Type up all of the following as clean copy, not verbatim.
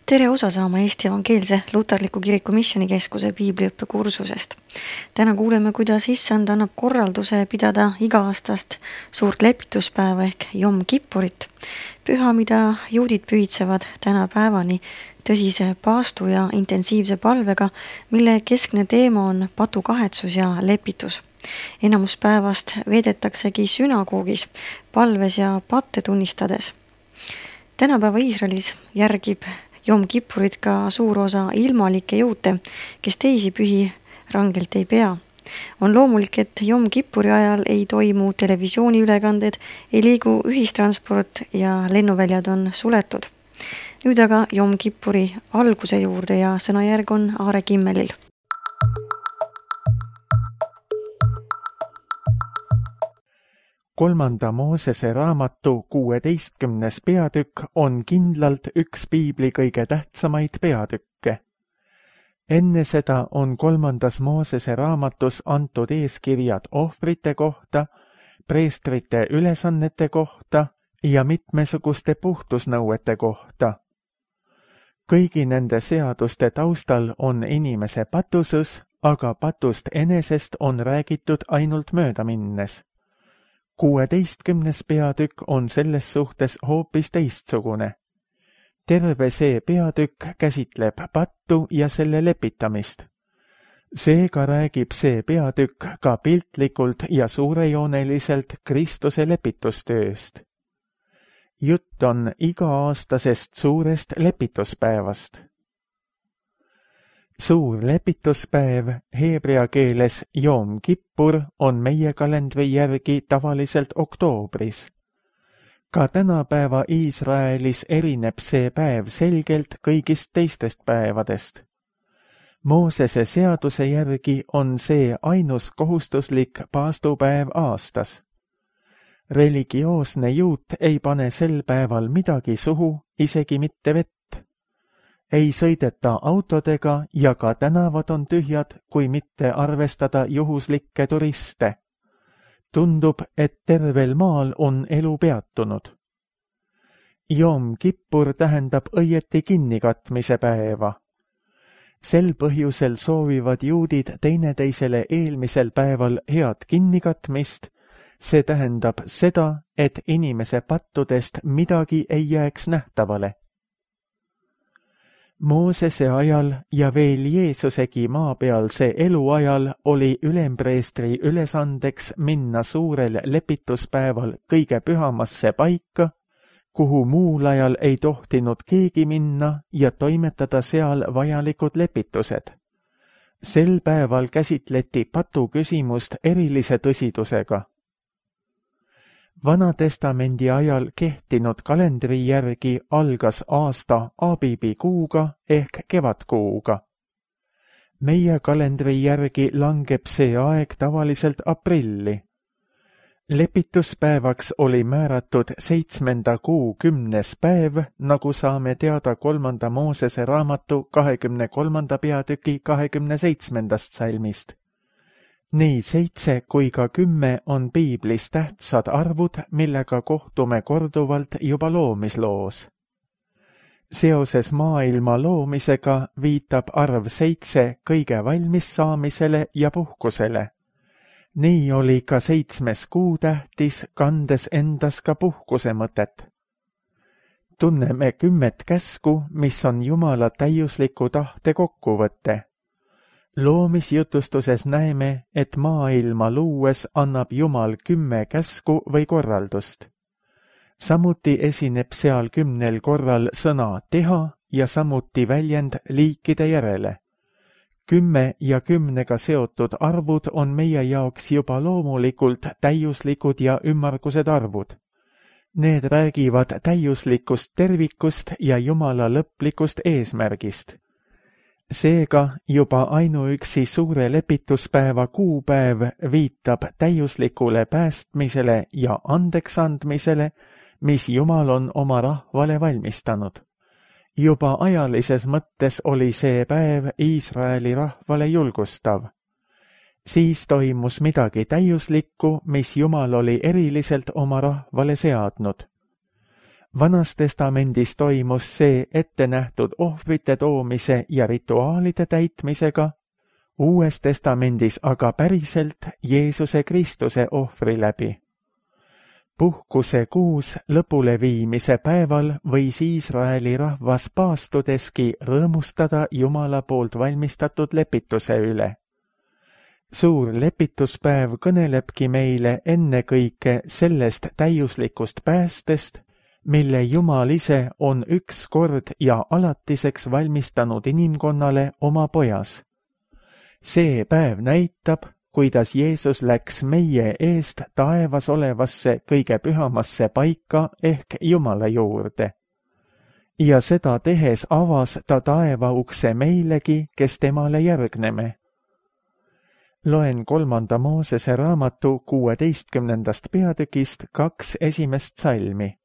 Tere osa saama Eesti Evangeelse Luterliku Kiriku Missioonikeskuse piibliõppekursusest. Täna kuuleme, kuidas Issand annab korralduse pidada iga-aastast suurt lepituspäeva ehk Jom Kippurit, püha, mida juudid pühitsevad tänapäevani tõsise paastu ja intensiivse palvega, mille keskne teema on patukahetsus ja lepitus. Enamus päevast veedetaksegi sünagoogis, palves ja patte tunnistades. Tänapäeva Iisraelis järgib Jom Kippurit ka suur osa ilmalikke juute, kes teisi pühi rangelt ei pea. On loomulik, et Jom Kippuri ajal ei toimu televisiooniülekanded, ei liigu ühistransport ja lennuväljad on suletud. Nüüd aga Jom Kippuri alguse juurde ja sõnajärg on Aare Kimmelil. Kolmanda Moosese raamatu 16. peatükk on kindlalt üks piibli kõige tähtsamaid peatükke. Enne seda on 3. Moosese raamatus antud eeskirjad ohvrite kohta, preestrite ülesannete kohta ja mitmesuguste puhtusnõuete kohta. Kõigi nende seaduste taustal on inimese patusus, aga patust enesest on räägitud ainult möödaminnes. 16. peatükk on selles suhtes hoopis teistsugune. Terve see peatükk käsitleb pattu ja selle lepitamist. Seega räägib see peatükk ka piltlikult ja suurejooneliselt Kristuse lepitustööst. Jutt on iga-aastasest suurest lepituspäevast. Suur lepituspäev, heebrea keeles Jom Kippur, on meie kalendri järgi tavaliselt oktoobris. Ka tänapäeva Iisraelis erineb see päev selgelt kõigist teistest päevadest. Moosese seaduse järgi on see ainus kohustuslik paastupäev aastas. Religioosne juut ei pane sel päeval midagi suhu, isegi mitte vett. Ei sõideta autodega ja ka tänavad on tühjad, kui mitte arvestada juhuslikke turiste. Tundub, et tervel maal on elu peatunud. Jom Kippur tähendab õieti kinnikatmise päeva. Sel põhjusel soovivad juudid teineteisele eelmisel päeval head kinnikatmist. See tähendab seda, et inimese pattudest midagi ei jääks nähtavale. Moosese ajal ja veel Jeesusegi maapealse eluajal oli ülempreestri ülesandeks minna suurel lepituspäeval kõige pühamasse paika, kuhu muul ajal ei tohtinud keegi minna ja toimetada seal vajalikud lepitused. Sel päeval käsitleti patu küsimust erilise tõsidusega. Vanatestamendi ajal kehtinud kalendri järgi algas aasta Abibi kuuga ehk kevadkuuga. Meie kalendri järgi langeb see aeg tavaliselt aprilli. Lepituspäevaks oli määratud 7. kuu 10. päev, nagu saame teada 3. Moosese raamatu 23. peatüki 27. salmist. Nii 7 kui ka 10 on piiblis tähtsad arvud, millega kohtume korduvalt juba loomisloos. Seoses maailma loomisega viitab arv 7 kõige valmis saamisele ja puhkusele. Nii oli ka 7. kuu tähtis, kandes endas ka puhkuse mõtet. Tunneme 10 käsku, mis on Jumala täiusliku tahte kokkuvõte. Loomisjutustuses näeme, et maailma luues annab Jumal 10 käsku või korraldust. Samuti esineb seal 10 korral sõna teha ja samuti väljend liikide järele. 10 ja 10-ga seotud arvud on meie jaoks juba loomulikult täiuslikud ja ümmargused arvud. Need räägivad täiuslikust tervikust ja Jumala lõplikust eesmärgist. Seega juba ainuüksi suure lepituspäeva kuupäev viitab täiuslikule päästmisele ja andeksandmisele, mis Jumal on oma rahvale valmistanud. Juba ajalises mõttes oli see päev Iisraeli rahvale julgustav. Siis toimus midagi täiuslikku, mis Jumal oli eriliselt oma rahvale seadnud. Vanas testamendis toimus see ette nähtud ohvrite toomise ja rituaalide täitmisega, Uues testamendis aga päriselt Jeesuse Kristuse ohvri läbi. Puhkuse kuus lõpuleviimise päeval võis Iisraeli rahvas paastudeski rõõmustada Jumala poolt valmistatud lepituse üle. Suur lepituspäev kõnelebki meile ennekõike sellest täiuslikust päästest, mille Jumal ise on üks kord ja alatiseks valmistanud inimkonnale oma pojas. See päev näitab, kuidas Jeesus läks meie eest taevas olevasse kõige pühamasse paika ehk Jumala juurde. Ja seda tehes avas ta taeva ukse meilegi, kes temale järgneme. Loen 3. Moosese raamatu 16. peatükist 2 esimest salmi.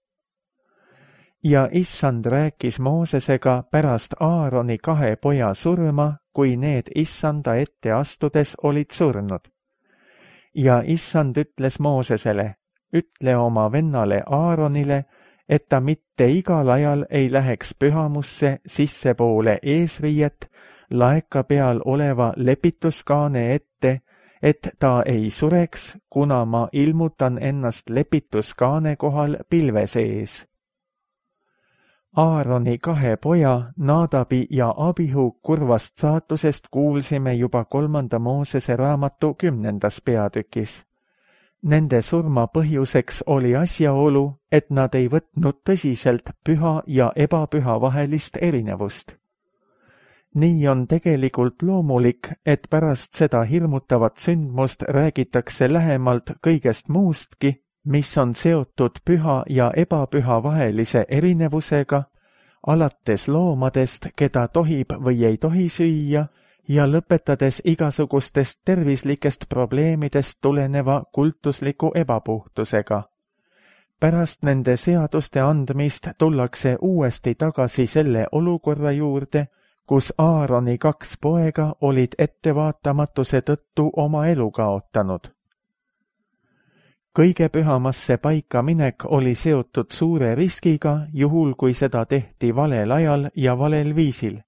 Ja Issand rääkis Moosesega pärast Aaroni 2 poja surma, kui need Issanda ette astudes olid surnud. Ja Issand ütles Moosesele, ütle oma vennale Aaronile, et ta mitte igal ajal ei läheks pühamusse sissepoole eesriiet laeka peal oleva lepituskaane ette, et ta ei sureks, kuna ma ilmutan ennast lepituskaane kohal pilve sees. Aaroni 2 poja, Naadabi ja Abihu kurvast saatusest kuulsime juba 3. Moosese raamatu 10. peatükis. Nende surma põhjuseks oli asjaolu, et nad ei võtnud tõsiselt püha ja ebapüha vahelist erinevust. Nii on tegelikult loomulik, et pärast seda hirmutavat sündmust räägitakse lähemalt kõigest muustki, mis on seotud püha ja ebapüha vahelise erinevusega, alates loomadest, keda tohib või ei tohi süüa, ja lõpetades igasugustest tervislikest probleemidest tuleneva kultusliku ebapuhtusega. Pärast nende seaduste andmist tullakse uuesti tagasi selle olukorra juurde, kus Aaroni 2 poega olid ettevaatamatuse tõttu oma elu kaotanud. Kõige pühamasse paika minek oli seotud suure riskiga, juhul kui seda tehti valel ajal ja valel viisil.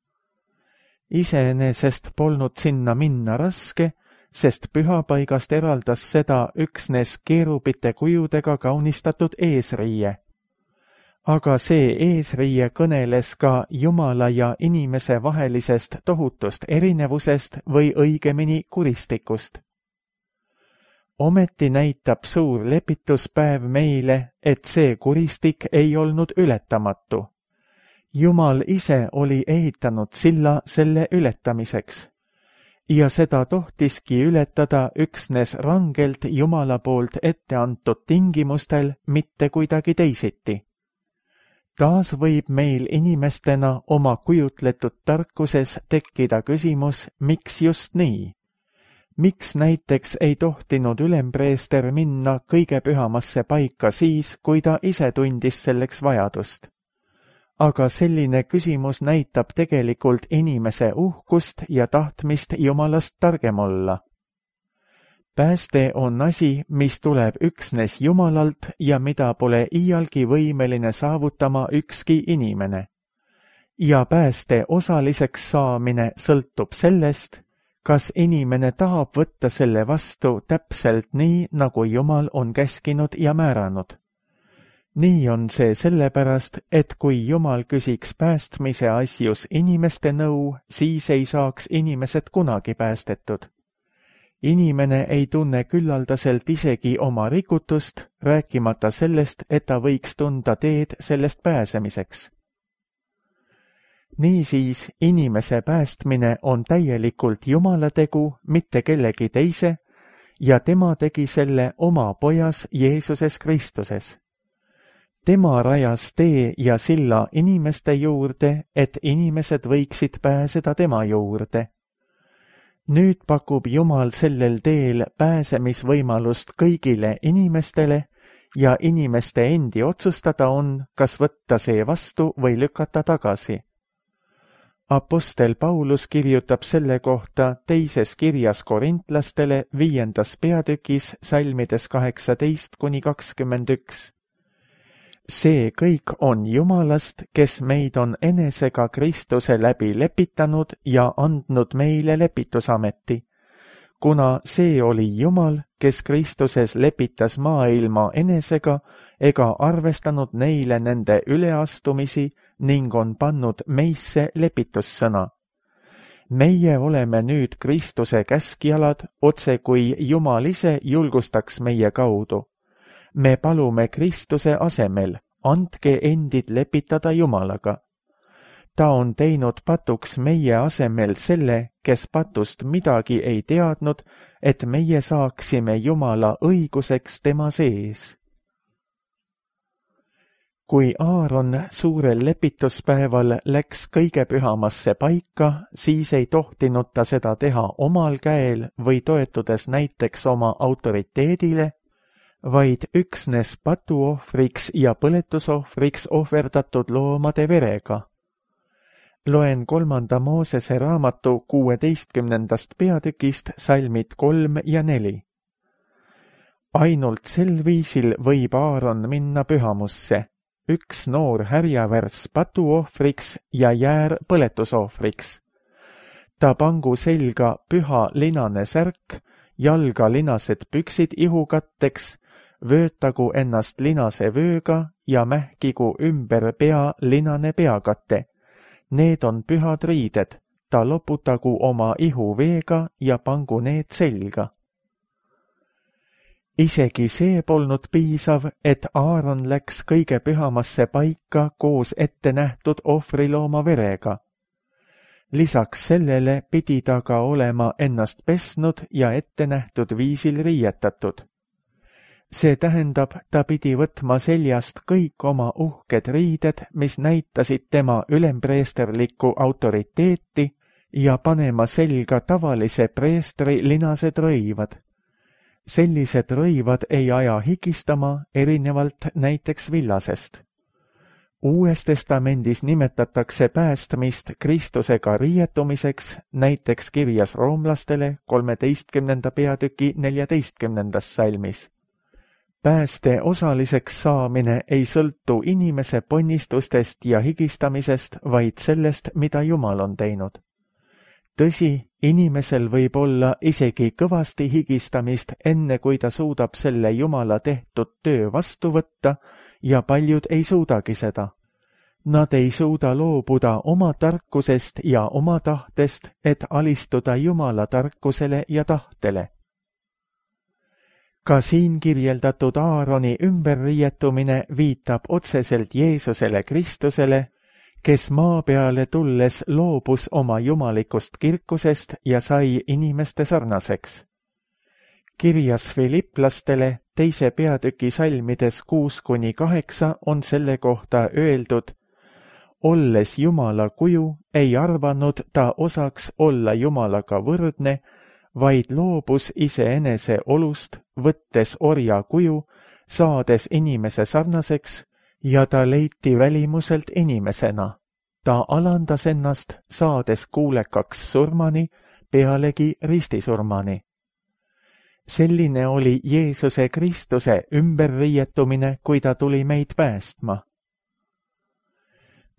Iseenesest polnud sinna minna raske, sest pühapaigast eraldas seda üksnes keerubite kujudega kaunistatud eesriie. Aga see eesriie kõneles ka Jumala ja inimese vahelisest tohutust erinevusest või õigemini kuristikust. Ometi näitab suur lepituspäev meile, et see kuristik ei olnud ületamatu. Jumal ise oli ehitanud silla selle ületamiseks. Ja seda tohtiski ületada üksnes rangelt Jumala poolt ette antud tingimustel, mitte kuidagi teisiti. Taas võib meil inimestena oma kujutletud tarkuses tekkida küsimus, miks just nii? Miks näiteks ei tohtinud ülempreester minna kõige pühamasse paika siis, kui ta ise tundis selleks vajadust? Aga selline küsimus näitab tegelikult inimese uhkust ja tahtmist Jumalast targem olla. Pääste on asi, mis tuleb üksnes Jumalalt ja mida pole iialgi võimeline saavutama ükski inimene. Ja pääste osaliseks saamine sõltub sellest, kas inimene tahab võtta selle vastu täpselt nii, nagu Jumal on käskinud ja määranud. Nii on see sellepärast, et kui Jumal küsiks päästmise asjus inimeste nõu, siis ei saaks inimesed kunagi päästetud. Inimene ei tunne küllaldaselt isegi oma rikutust, rääkimata sellest, et ta võiks tunda teed sellest pääsemiseks. Niisiis, inimese päästmine on täielikult Jumala tegu, mitte kellegi teise, ja tema tegi selle oma pojas Jeesuses Kristuses. Tema rajas tee ja silla inimeste juurde, et inimesed võiksid pääseda tema juurde. Nüüd pakub Jumal sellel teel pääsemisvõimalust kõigile inimestele ja inimeste endi otsustada on, kas võtta see vastu või lükata tagasi. Apostel Paulus kirjutab selle kohta teises kirjas korintlastele 5. peatükis salmides 18–21. See kõik on Jumalast, kes meid on enesega Kristuse läbi lepitanud ja andnud meile lepitusameti, kuna see oli Jumal, kes Kristuses lepitas maailma enesega ega arvestanud neile nende üleastumisi ning on pannud meisse lepitussõna. Meie oleme nüüd Kristuse käskjalad, otse kui Jumal ise julgustaks meie kaudu. Me palume Kristuse asemel, andke endid lepitada Jumalaga. Ta on teinud patuks meie asemel selle, kes patust midagi ei teadnud, et meie saaksime Jumala õiguseks tema sees. Kui Aaron suurel lepituspäeval läks kõige pühamasse paika, siis ei tohtinud ta seda teha omal käel või toetudes näiteks oma autoriteedile, vaid üksnes patuohvriks ja põletusohvriks ohverdatud loomade verega. Loen 3. Moosese raamatu 16. peatükist salmid 3 ja 4. Ainult sel viisil võib Aaron minna pühamusse, üks noor härjavärs patuohvriks ja jäär põletusohvriks. Ta pangu selga püha linane särk, jalga linased püksid ihukatteks, vöötagu ennast linase vööga ja mähkigu ümber pea linane peakate. Need on pühad riided, ta loputagu oma ihu veega ja pangu need selga. Isegi see polnud piisav, et Aaron läks kõige pühamasse paika koos ette nähtud ohvrilooma verega. Lisaks sellele pidi ta ka olema ennast pesnud ja ette nähtud viisil riietatud. See tähendab, ta pidi võtma seljast kõik oma uhked riided, mis näitasid tema ülempreesterlikku autoriteeti ja panema selga tavalise preestri linased rõivad. Sellised rõivad ei aja higistama, erinevalt näiteks villasest. Uues testamendis nimetatakse päästmist Kristusega riietumiseks, näiteks kirjas roomlastele 13. peatüki 14. salmis. Pääste osaliseks saamine ei sõltu inimese ponnistustest ja higistamisest, vaid sellest, mida Jumal on teinud. Tõsi, inimesel võib olla isegi kõvasti higistamist, enne kui ta suudab selle Jumala tehtud töö vastu võtta, ja paljud ei suudagi seda. Nad ei suuda loobuda oma tarkusest ja oma tahtest, et alistuda Jumala tarkusele ja tahtele. Ka siin kirjeldatud Aaroni ümberriietumine viitab otseselt Jeesusele Kristusele, kes maa peale tulles loobus oma jumalikust kirkusest ja sai inimeste sarnaseks. Kirjas Filiplastele 2. peatüki salmides 6-8 on selle kohta öeldud: olles Jumala kuju, ei arvanud ta osaks olla Jumalaga võrdne, vaid loobus iseenese olust, võttes orja kuju, saades inimese sarnaseks, ja ta leiti välimuselt inimesena. Ta alandas ennast, saades kuulekaks surmani, pealegi ristisurmani. Selline oli Jeesuse Kristuse ümberriietumine, kui ta tuli meid päästma.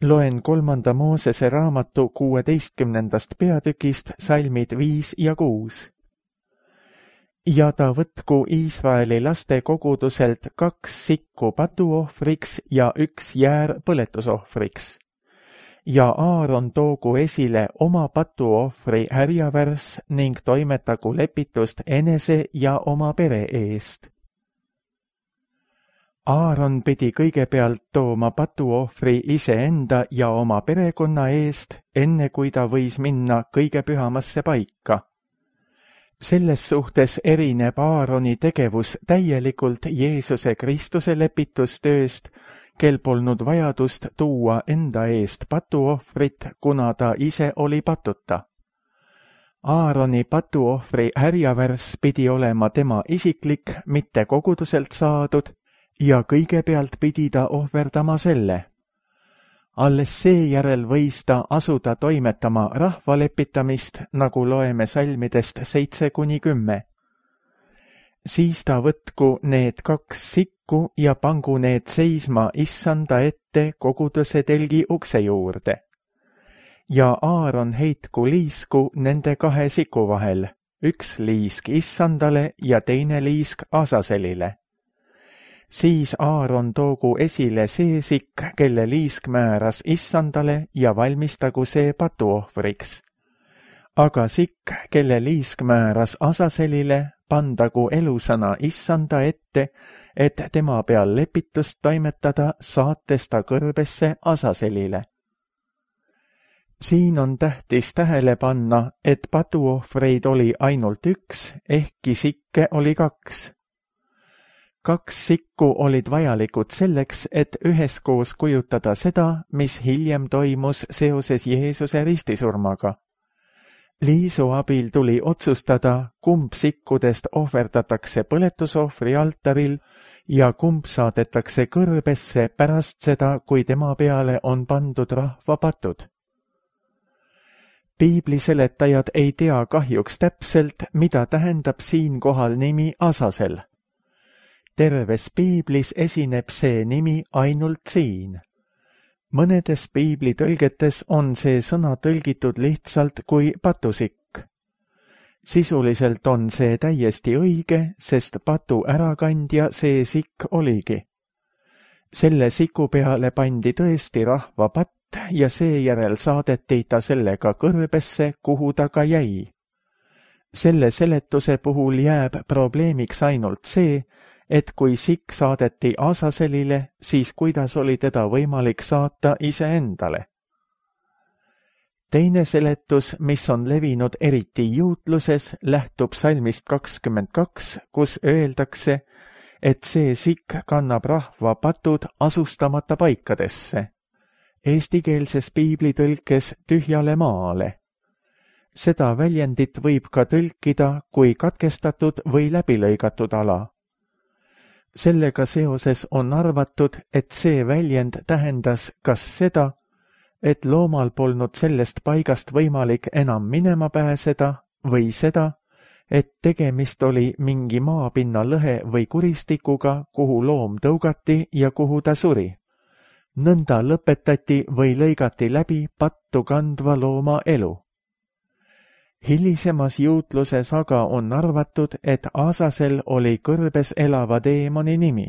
Loen 3. Moosese raamatu 16. peatükist salmid 5 ja 6. Ja ta võtku Iisraeli laste koguduselt 2 sikku patuohvriks ja 1 jäär põletusohvriks. Ja Aaron toogu esile oma patuohvri härjavärs ning toimetagu lepitust enese ja oma pere eest. Aaron pidi kõigepealt tooma patuohvri iseenda ja oma perekonna eest, enne kui ta võis minna kõige pühamasse paika. Selles suhtes erineb Aaroni tegevus täielikult Jeesuse Kristuse lepitustööst, kel polnud vajadust tuua enda eest patuohvrit, kuna ta ise oli patuta. Aaroni patuohvri härjavärs pidi olema tema isiklik, mitte koguduselt saadud, ja kõigepealt pidi ta ohverdama selle. Alles seejärel võis ta asuda toimetama rahvalepitamist, nagu loeme salmidest 7-10. Siis ta võtku need 2 sikku ja pangu need seisma issanda ette koguduse telgi ukse juurde. Ja Aaron heitku liisku nende 2 siku vahel, 1 liisk issandale ja teine liisk Asaselile. Siis Aaron toogu esile see sikk, kelle liisk määras issandale ja valmistagu see patuohvriks. Aga sikk, kelle liisk määras Asaselile, pandagu elusana issanda ette, et tema peal lepitust toimetada, saates ta kõrbesse Asaselile. Siin on tähtis tähele panna, et patuohvreid oli ainult 1, ehkki sikke oli 2. 2 sikku olid vajalikud selleks, et üheskoos kujutada seda, mis hiljem toimus seoses Jeesuse ristisurmaga. Liisu abil tuli otsustada, kumb sikkudest ohverdatakse põletusohvri altaril ja kumb saadetakse kõrbesse pärast seda, kui tema peale on pandud rahva patud. Piibliseletajad ei tea kahjuks täpselt, mida tähendab siinkohal nimi Asasel. Terves piiblis esineb see nimi ainult siin. Mõnedes piiblitõlgetes on see sõna tõlgitud lihtsalt kui patusikk. Sisuliselt on see täiesti õige, sest patu ärakandja see sikk oligi. Selle siku peale pandi tõesti rahva patt ja seejärel saadeti ta sellega kõrbesse, kuhu ta ka jäi. Selle seletuse puhul jääb probleemiks ainult see, et kui sikk saadeti Asaselile, siis kuidas oli teda võimalik saata iseendale. Teine seletus, mis on levinud eriti juutluses, lähtub salmist 22, kus öeldakse, et see sikk kannab rahva patud asustamata paikadesse. Eestikeelses piiblitõlkes tühjale maale. Seda väljendit võib ka tõlkida kui katkestatud või läbilõigatud ala. Sellega seoses on arvatud, et see väljend tähendas kas seda, et loomal polnud sellest paigast võimalik enam minema pääseda, või seda, et tegemist oli mingi maapinna lõhe või kuristikuga, kuhu loom tõugati ja kuhu ta suri. Nõnda lõpetati või lõigati läbi pattu kandva looma elu. Hilisemas juutluses aga on arvatud, et Asasel oli kõrbes elava teemoni nimi.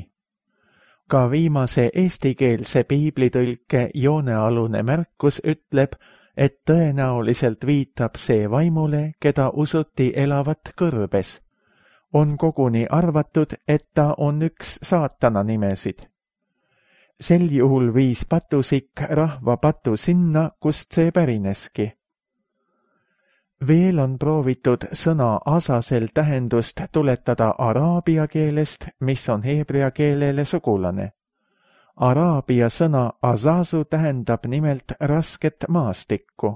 Ka viimase eestikeelse piiblitõlke joonealune märkus ütleb, et tõenäoliselt viitab see vaimule, keda usuti elavat kõrbes. On koguni arvatud, et ta on üks saatana nimesid. Sel juhul viis patusikk rahva patu sinna, kust see pärineski. Veel on proovitud sõna Asasel tähendust tuletada araabia keelest, mis on heebrea keelele sugulane. Araabia sõna azazu tähendab nimelt rasket maastikku.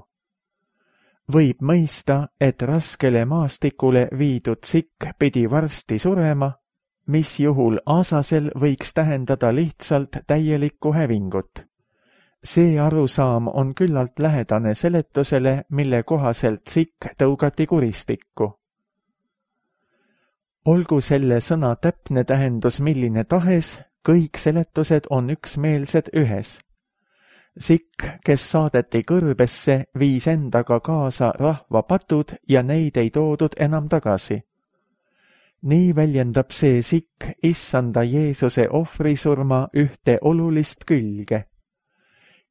Võib mõista, et raskele maastikule viidud sikk pidi varsti surema, mis juhul Asasel võiks tähendada lihtsalt täielikku hävingut. See arusaam on küllalt lähedane seletusele, mille kohaselt sikk tõugati kuristikku. Olgu selle sõna täpne tähendus milline tahes, kõik seletused on üksmeelsed ühes. Sikk, kes saadeti kõrbesse, viis endaga kaasa rahva patud ja neid ei toodud enam tagasi. Nii väljendab see sikk issanda Jeesuse ohvrisurma ühte olulist külge.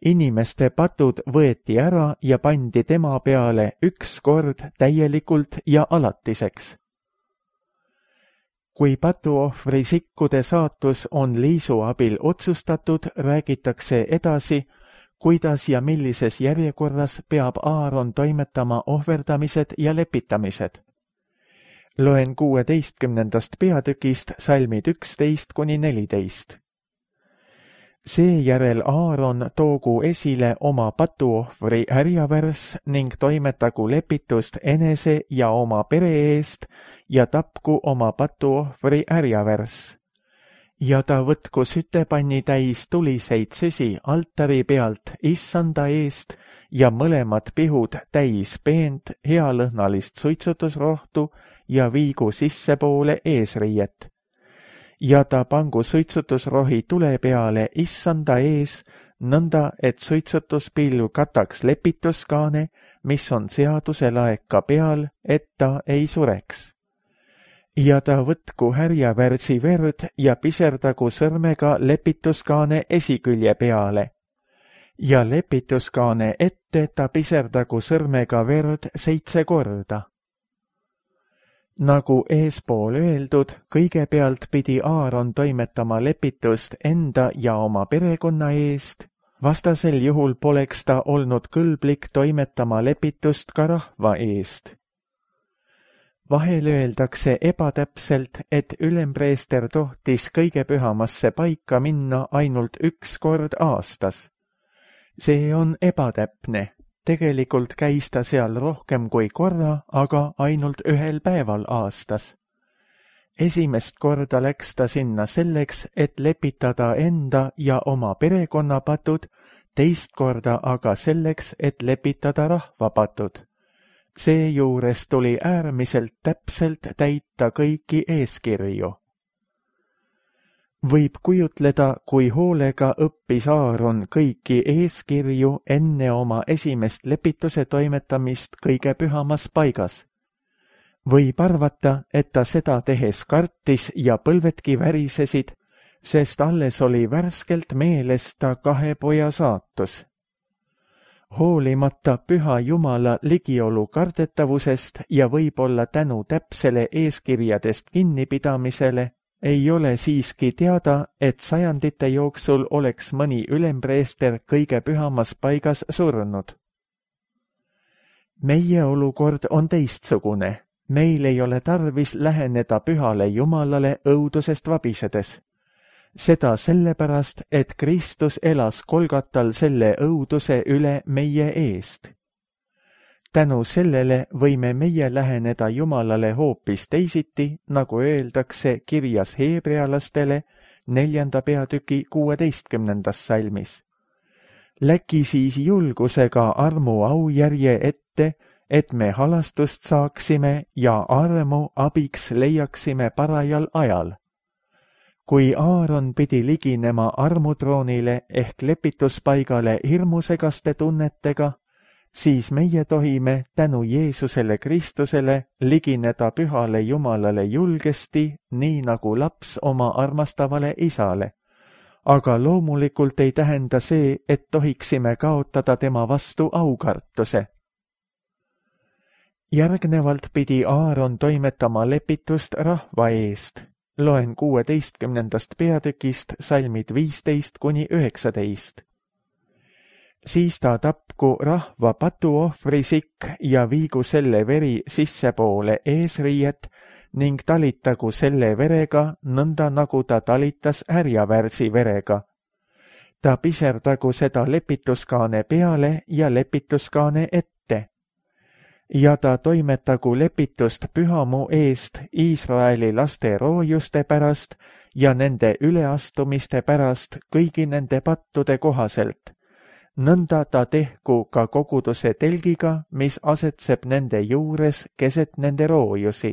Inimeste patud võeti ära ja pandi tema peale üks kord täielikult ja alatiseks. Kui patuohvri sikkude saatus on liisu abil otsustatud, räägitakse edasi, kuidas ja millises järjekorras peab Aaron toimetama ohverdamised ja lepitamised. Loen 16. peatükist salmid 11–14. Seejärel Aaron toogu esile oma patuohvri härjavärss ning toimetagu lepitust enese ja oma pere eest ja tapku oma patuohvri härjavärss. Ja ta võtku sütepanni täis tuliseid süsi altari pealt issanda eest ja mõlemad pihud täis peent healõhnalist suitsutusrohtu ja viigu sissepoole eesriiet. Ja ta pangu suitsutusrohi tule peale issanda ees, nõnda, et suitsutuspilv kataks lepituskaane, mis on seaduse laeka peal, et ta ei sureks. Ja ta võtku härjavärsi verd ja piserdagu sõrmega lepituskaane esikülje peale. Ja lepituskaane ette ta piserdagu sõrmega verd 7 korda. Nagu eespool öeldud, kõigepealt pidi Aaron toimetama lepitust enda ja oma perekonna eest, vastasel juhul poleks ta olnud kõlblik toimetama lepitust ka rahva eest. Vahel öeldakse ebatäpselt, et ülempreester tohtis kõige pühamasse paika minna ainult 1 kord aastas. See on ebatäpne. Tegelikult käis ta seal rohkem kui korra, aga ainult 1 päeval aastas. Esimest korda läks ta sinna selleks, et lepitada enda ja oma perekonna patud, teist korda aga selleks, et lepitada rahva patud. Seejuures tuli äärmiselt täpselt täita kõiki eeskirju. Võib kujutleda, kui hoolega õppis Aaron kõiki eeskirju enne oma esimest lepituse toimetamist kõige pühamas paigas. Võib arvata, et ta seda tehes kartis ja põlvedki värisesid, sest alles oli värskelt meeles ta 2 poja saatus. Hoolimata püha Jumala ligiolu kardetavusest ja võib-olla tänu täpsele eeskirjadest kinnipidamisele, ei ole siiski teada, et sajandite jooksul oleks mõni ülempreester kõige pühamas paigas surnud. Meie olukord on teistsugune. Meil ei ole tarvis läheneda pühale Jumalale õudusest vabisedes. Seda sellepärast, et Kristus elas Kolgatal selle õuduse üle meie eest. Tänu sellele võime meie läheneda Jumalale hoopis teisiti, nagu öeldakse kirjas heebrealastele 4. peatüki 16. salmis. Läki siis julgusega armu aujärje ette, et me halastust saaksime ja armu abiks leiaksime parajal ajal. Kui Aaron pidi liginema armutroonile ehk lepituspaigale hirmusegaste tunnetega, siis meie tohime tänu Jeesusele Kristusele ligineda pühale Jumalale julgesti, nii nagu laps oma armastavale isale. Aga loomulikult ei tähenda see, et tohiksime kaotada tema vastu aukartuse. Järgnevalt pidi Aaron toimetama lepitust rahva eest. Loen 16. peatükist salmid 15–19. Siis ta tapku rahva patuohvrisikk ja viigu selle veri sissepoole eesriiet ning talitagu selle verega nõnda, nagu ta talitas härjavärsi verega. Ta piserdagu seda lepituskaane peale ja lepituskaane ette. Ja ta toimetagu lepitust pühamu eest Iisraeli laste roojuste pärast ja nende üleastumiste pärast kõigi nende pattude kohaselt. Nõnda ta tehku ka koguduse telgiga, mis asetseb nende juures keset nende roojusi.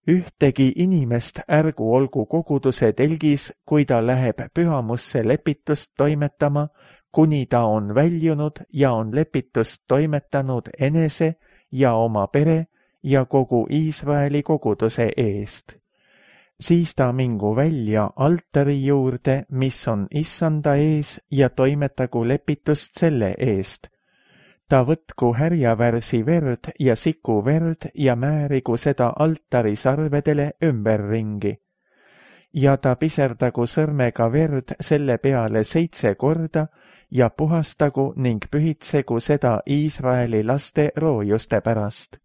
Ühtegi inimest ärgu olgu koguduse telgis, kui ta läheb pühamusse lepitust toimetama, kuni ta on väljunud ja on lepitust toimetanud enese ja oma pere ja kogu Iisraeli koguduse eest. Siis ta mingu välja altari juurde, mis on issanda ees, ja toimetagu lepitust selle eest. Ta võtku härjavärsi verd ja siku verd ja määrigu seda altari sarvedele ümberringi. Ja ta piserdagu sõrmega verd selle peale 7 korda ja puhastagu ning pühitsegu seda Iisraeli laste roojuste pärast.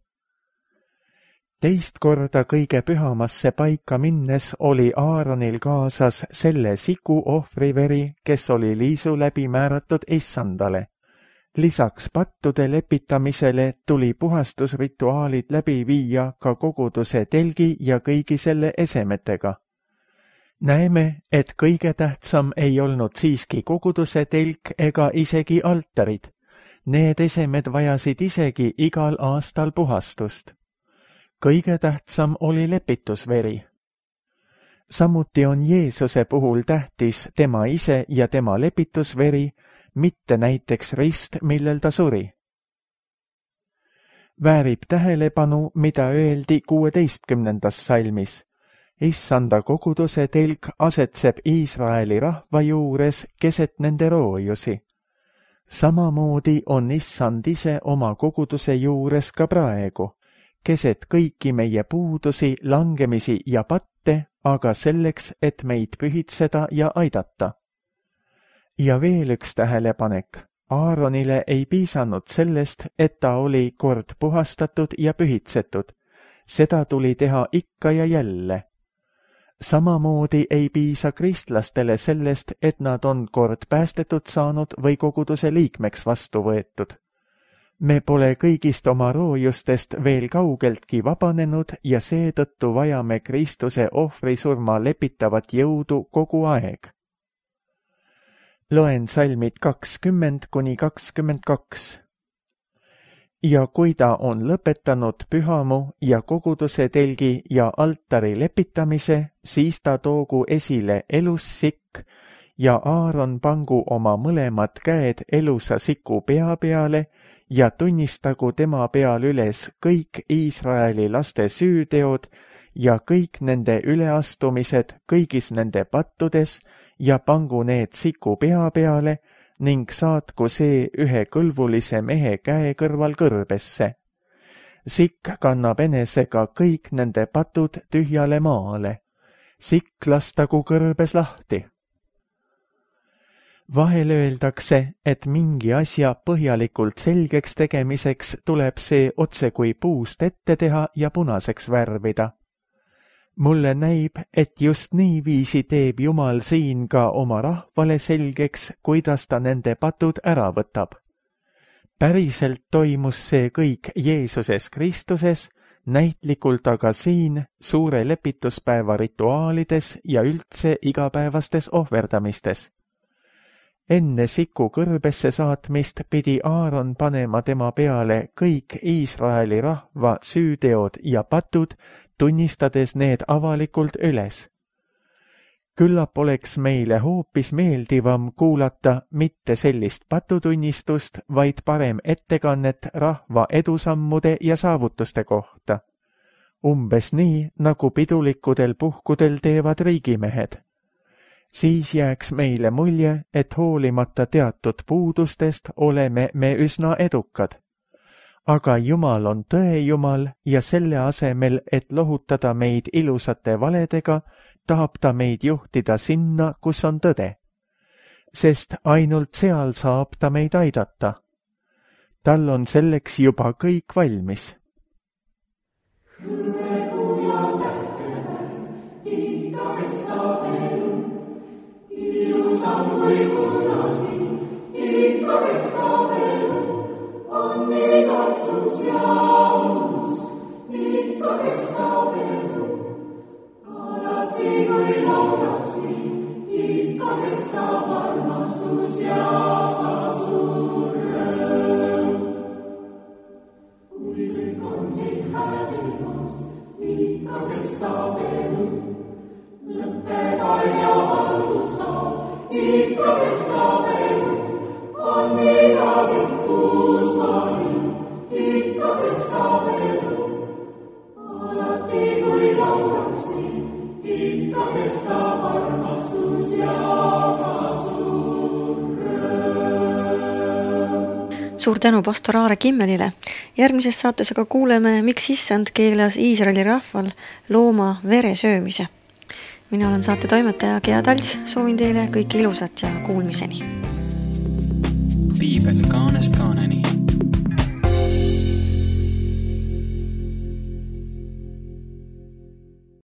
Teist korda kõige pühamasse paika minnes oli Aaronil kaasas selle siku ohvriveri, kes oli liisu läbi määratud issandale. Lisaks pattude lepitamisele tuli puhastusrituaalid läbi viia ka koguduse telgi ja kõigi selle esemetega. Näeme, et kõige tähtsam ei olnud siiski koguduse telk ega isegi altarid. Need esemed vajasid isegi igal aastal puhastust. Kõige tähtsam oli lepitusveri. Samuti on Jeesuse puhul tähtis tema ise ja tema lepitusveri, mitte näiteks rist, millel ta suri. Väärib tähelepanu, mida öeldi 16. salmis. Issanda koguduse telk asetseb Iisraeli rahva juures keset nende roojusi. Samamoodi on Issand ise oma koguduse juures ka praegu, keset kõiki meie puudusi, langemisi ja patte, aga selleks, et meid pühitseda ja aidata. Ja veel üks tähelepanek. Aaronile ei piisanud sellest, et ta oli kord puhastatud ja pühitsetud. Seda tuli teha ikka ja jälle. Samamoodi ei piisa kristlastele sellest, et nad on kord päästetud saanud või koguduse liikmeks vastu võetud. Me pole kõigist oma roojustest veel kaugeltki vabanenud ja seetõttu vajame Kristuse ohvrisurma lepitavat jõudu kogu aeg. Loen salmid 20–22. Ja kui ta on lõpetanud pühamu ja koguduse telgi ja altari lepitamise, siis ta toogu esile elussikk ja Aaron pangu oma mõlemad käed elusa siku pea peale ja tunnistagu tema peal üles kõik Iisraeli laste süüteod ja kõik nende üleastumised kõigis nende pattudes ja pangu need siku pea peale ning saatku see ühe kõlvulise mehe käe kõrval kõrbesse. Sikk kannab enesega kõik nende patud tühjale maale. Sikk lastagu kõrbes lahti. Vahel öeldakse, et mingi asja põhjalikult selgeks tegemiseks tuleb see otse kui puust ette teha ja punaseks värvida. Mulle näib, et just niiviisi teeb Jumal siin ka oma rahvale selgeks, kuidas ta nende patud ära võtab. Päriselt toimus see kõik Jeesuses Kristuses, näitlikult aga siin suure lepituspäeva rituaalides ja üldse igapäevastes ohverdamistes. Enne siku kõrbesse saatmist pidi Aaron panema tema peale kõik Iisraeli rahva süüteod ja patud, tunnistades need avalikult üles. Küllap oleks meile hoopis meeldivam kuulata mitte sellist patutunnistust, vaid parem ettekannet rahva edusammude ja saavutuste kohta. Umbes nii, nagu pidulikudel puhkudel teevad riigimehed. Siis jääks meile mulje, et hoolimata teatud puudustest oleme me üsna edukad. Aga Jumal on tõe Jumal ja selle asemel, et lohutada meid ilusate valedega, tahab ta meid juhtida sinna, kus on tõde. Sest ainult seal saab ta meid aidata. Tal on selleks juba kõik valmis. Kui kunagi ikka kestab elu, on igatsus ja aus, ikka kestab elu. Alati kui laulaks nii, ikka kestab armastus ja ka suur rõõm. Kui kõik on siin hävimas, ikka kestab elu, lõppega ja valgustab. Ikka kestab elu, on igavikuus vaim, ikka kestab elu. Alati kui laulaks nii, ikka kestab armastus ja ka suur rõõm. Suur tänu pastor Aare Kimmelile. Järgmises saates aga kuuleme, miks Issand keelas Iisraeli rahval looma vere söömise. Mina olen saate toimetaja Gea Talts, soovin teile kõike ilusat ja kuulmiseni. Piibel kaanest kaaneni.